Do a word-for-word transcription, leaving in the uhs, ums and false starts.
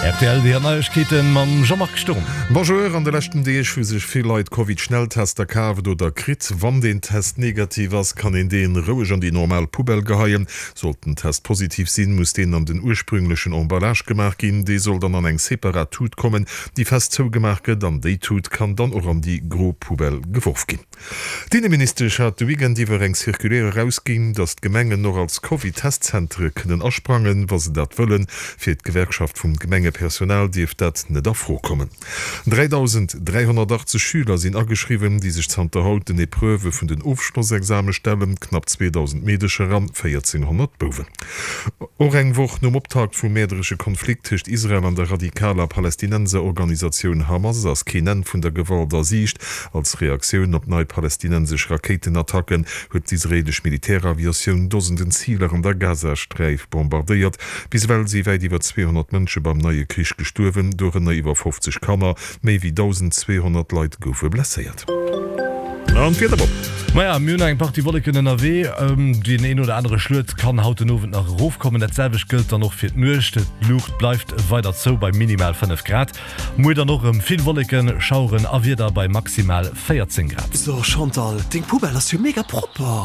Rtl, déi Neiegkeeten mam Jean-Marc Sturm. Bonjour, an de leschten Deeg hu sech vill Leit Covid-Schnelltester kaaft oder kritt. Wann den Test negativ ass, kann een deen roueg an déi normal Poubelle geheien. Sollt den Test positiv sinn, muss deen an den ursprünglechen Emballage gemaach ginn. Dee soll dann an eng separat Tut kommen, déi fest zougemaach gëtt an déi Tut kann dann och an déi gro Poubelle geworf ginn. D'Inneministesch hat de Weekend iwwer eng Circulaire erausginn, datt d'Gemengen och als Covid-Testzentere kënnen asprangen, wa se dat wëllen. Fir d'Gewerkschaft vum Gemengepersonal dierft dat net a Fro kommen. dräidausend dräihonnertachtzeg Schüler sinn ageschriwwen, déi sech zanter haut den Epreuvë vun den Ofschlossexame stellen, knapp zweedausend Meedecher an véierzénghonnert Bouwen. Och eng Woch nom Optakt vum mäerderesche Konflikt tëscht Israel an der radikaler Palästinenserorganisatioun Hamas ass keen Enn vun der Gewalt a Siicht. Als Reaktioun op nei palästinensesch Rakéitenattacken huet d'israeelesch Militäraviatioun Dosenden Ziler an der Gazasträif bombardéiert. Bis ewell si wäit iwwer zweehonnert Mënsche beim neie Krich gestuerwen, dorënner iwwer fofzeg Kanner. Méi wéi dausend zweehonnert Leit goufe blesséiert. An d'Wieder, Bob. Maja, mir hunn eng Partie Wolleken ënnerwee. Deen een oder anere Schluet kann haut den Owend nach erofkommen. Dat selwecht gëllt dann och fir d'Nuecht. D'Luucht bleift weider zou bei minimal fënnef Grad. Muer dann och erëm vill Wolleken, Schaueren a Wieder bei maximal véierzéng Grad. So Chantal, deng Poubelle ass jo mega propper.